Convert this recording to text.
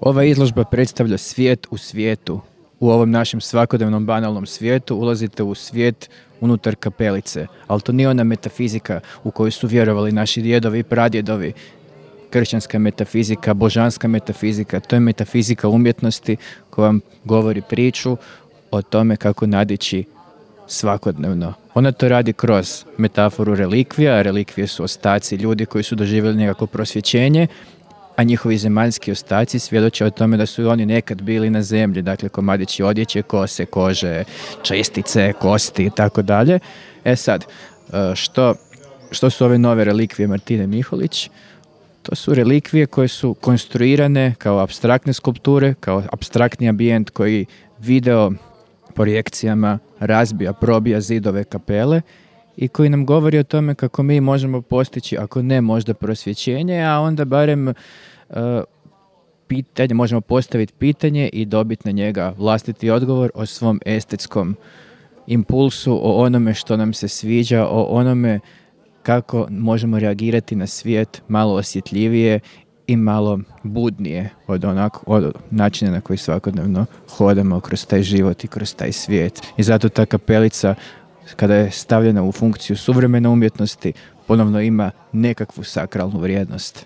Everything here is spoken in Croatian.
Ova izložba predstavlja svijet u svijetu. U ovom našem svakodnevnom banalnom svijetu ulazite u svijet unutar kapelice, ali to nije ona metafizika u koju su vjerovali naši djedovi i pradjedovi. Kršćanska metafizika, božanska metafizika, to je metafizika umjetnosti koja vam govori priču o tome kako nadići svakodnevno. Ona to radi kroz metaforu relikvija. Relikvije su ostaci ljudi koji su doživjeli nekako prosvjećenje, a njihovi zemaljski ostaci svjedoče o tome da su i oni nekad bili na zemlji, dakle komadići odjeće, kose, kože, čestice, kosti i tako dalje. Sad, što su ove nove relikvije Martine Miholić? To su relikvije koje su konstruirane kao apstraktne skulpture, kao apstraktni ambijent koji video projekcijama razbija, probija zidove kapele i koji nam govori o tome kako mi možemo postići, ako ne možda prosvjećenje, a onda barem možemo postaviti pitanje i dobiti na njega vlastiti odgovor o svom estetskom impulsu, o onome što nam se sviđa, o onome kako možemo reagirati na svijet malo osjetljivije i malo budnije od načina na koji svakodnevno hodamo kroz taj život i kroz taj svijet. I zato ta kapelica, kada je stavljena u funkciju suvremene umjetnosti, ponovno ima nekakvu sakralnu vrijednost.